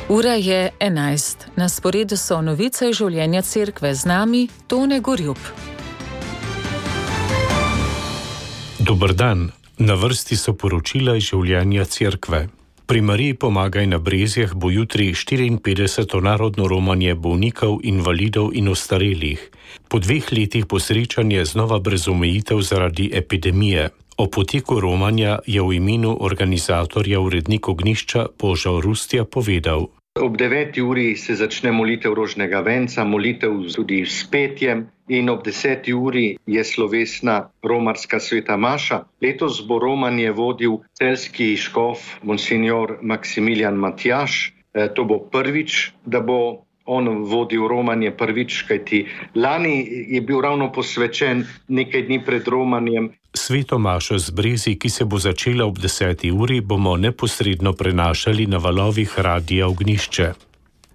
Ura je 11. Na sporedu so novice življenja cerkve, z nami Tone Gorjup. Dober dan. Na vrsti so poročila iz življenja cerkve. Pri Mariji Pomagaj na Brezjah bo jutri 54. narodno romanje bolnikov, invalidov in ostarelih. Po 2 letih bo srečanje znova brez omejitev zaradi epidemije. O poteku romanja je v imenu organizatorja urednik ognjišča Božo Rustja povedal. Ob 9. uri se začne molitev rožnega venca, molitev tudi s petjem in ob 10. uri je slovesna romarska sveta maša. Letos bo romanje vodil celjski škof monsignor Maksimilijan Matjaž. To bo prvič, da bo on vodil romanje prvič, kajti lani je bil ravno posvečen nekaj dni pred romanjem. Sveto mašo z Brezij, ki se bo začela ob 10. uri, bomo neposredno prenašali na valovih Radia Ognjišče.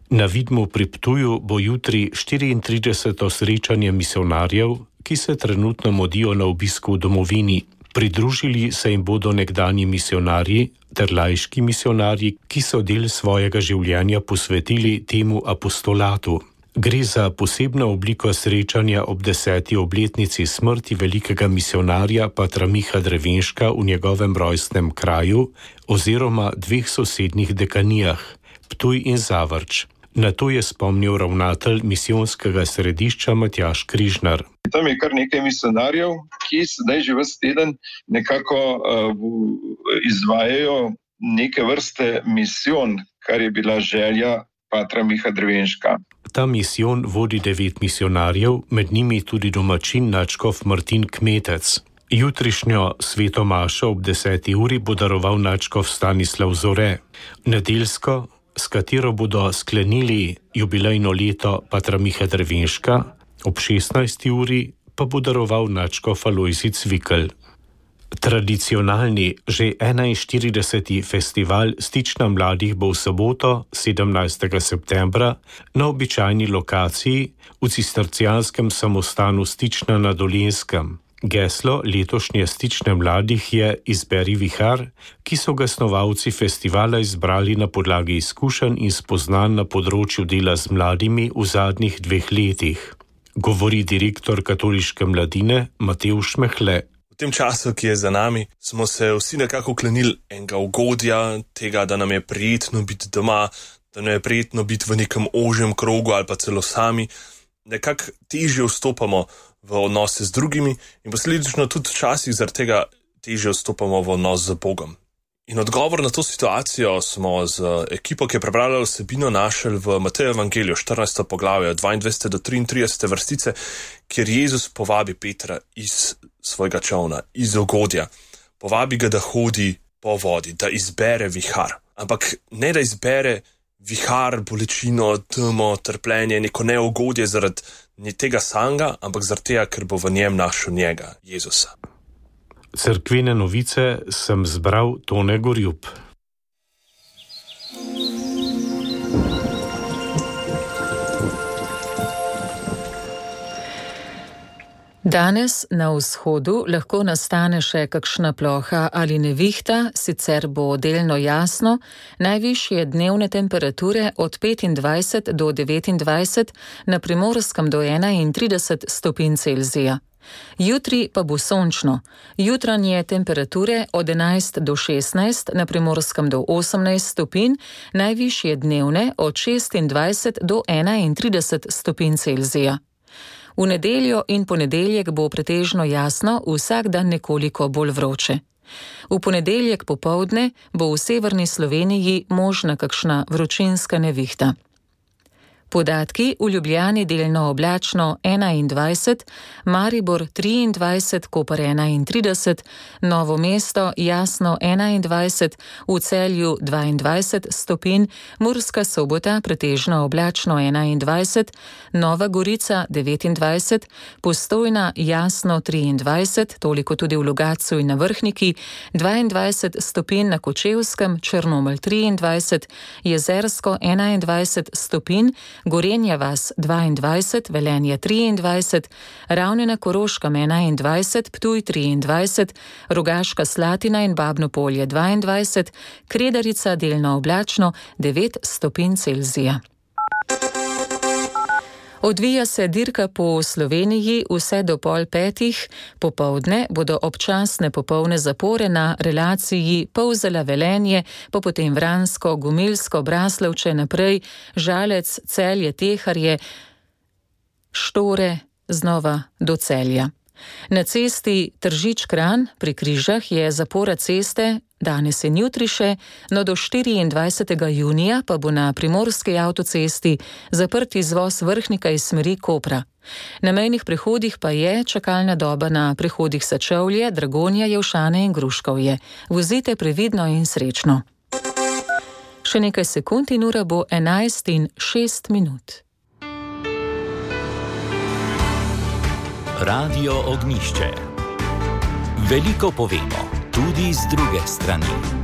Na Vidmu pri Ptuju bo jutri 34. srečanje misionarjev, ki se trenutno modijo na obisku v domovini. Pridružili se jim bodo nekdanji misionarji ter laiški misionarji, ki so del svojega življenja posvetili temu apostolatu. Gre za posebno obliko srečanja ob 10. obletnici smrti velikega misionarja patra Miha Drevenška v njegovem rojstnem kraju oziroma 2 sosednjih dekanijah, Ptuj in Zavrč. Na to je spomnil ravnatelj misijonskega središča Matjaž Križnar. Tam je kar nekaj misionarjev, ki sedaj že ves teden nekako izvajajo neke vrste misijon, kar je bila želja patra Miha Drevenška. Ta misijon vodi 9 misionarjev, med njimi tudi domačin nadškof Martin Kmetec. Jutrišnjo sveto mašo ob 10. uri bo daroval nadškof Stanislav Zore. Nedeljsko, s katero bodo sklenili jubilejno leto patra Miha Drevenška, ob 16. uri pa bo daroval nadškof Alojzij Cvikl. Tradicionalni, že 41. festival Stična mladih bo v soboto, 17. septembra, na običajni lokaciji v cistercijanskem samostanu Stična na Dolenjskem. Geslo letošnje Stične mladih je Izberi vihar, ki so ga snovalci festivala izbrali na podlagi izkušenj in spoznanj na področju dela z mladimi v zadnjih 2 letih. Govori direktor katoliške mladine Matevž Mehle. V tem času, ki je za nami, smo se vsi nekako klenili enega ugodja, tega, da nam je prijetno biti doma, da nam je prijetno biti v nekem ožjem krogu ali pa celo sami. Nekako težje vstopamo v odnose z drugimi in posledično tudi včasih zaradi tega težje vstopamo v odnos z Bogom. In odgovor na to situacijo smo z ekipo, ki je prebrala vsebino, našli v Mateju Evangeliju, 14. poglavje, 22. do 33. vrstice, kjer Jezus povabi Petra iz svojega čolna, iz ugodja. Povabi ga, da hodi po vodi, da izbere vihar. Ampak ne da izbere vihar, bolečino, temo, trpljenje, neko neugodje zaradi tega samega, ampak zaradi tega, ker bo v njem našel njega, Jezusa. Cerkvene novice sem zbral Tone Gorjup. Danes na vzhodu lahko nastane še kakšna ploha ali nevihta, sicer bo delno jasno, najvišje dnevne temperature od 25 do 29, na Primorskem do 31 stopinj Celzija. Jutri pa bo sončno. Jutranje temperature od 11 do 16, na Primorskem do 18 stopinj, najvišje dnevne od 26 do 31 stopinj Celzija. V nedeljo in ponedeljek bo pretežno jasno, vsak dan nekoliko bolj vroče. V ponedeljek popoldne bo v severni Sloveniji možna kakšna vročinska nevihta. Podatki: v Ljubljani delno oblačno 21, Maribor 23, Koper 31, Novo mesto jasno 21, v Celju 22 stopinj, Murska Sobota pretežno oblačno 21, Nova Gorica 29, Postojna jasno 23, toliko tudi v Logatcu in na Vrhniki, 22 stopinj na Kočevskem, Črnomelj 23, Jezersko 21 stopinj, Gorenja vas 22, Velenje 23, Ravne na Koroškem 21, Ptuj 23, Rogaška Slatina in Babno Polje 22, Kredarica delno oblačno 9 stopinj Celzija. Odvija se dirka po Sloveniji vse do 4:30, popoldne bodo občasne popolne zapore na relaciji Polzela-Velenje, pa potem Vransko, Gumilsko, Braslovče naprej, Žalec, Celje, Teharje, Štore, znova do Celja. Na cesti Tržič-Kranj pri Križah je zapora ceste danes in jutri še, no do 24. junija pa bo na primorski avtocesti zaprt izvoz Vrhnika iz smeri Kopra. Na mejnih prehodih pa je čakalna doba na prehodih Sečovlje, Dragonja, Jelšane in Gruškovje. Vozite previdno in srečno. Še nekaj sekund in ura bo 11:06. Radio Ognjišče. Veliko povemo, tudi z druge strani.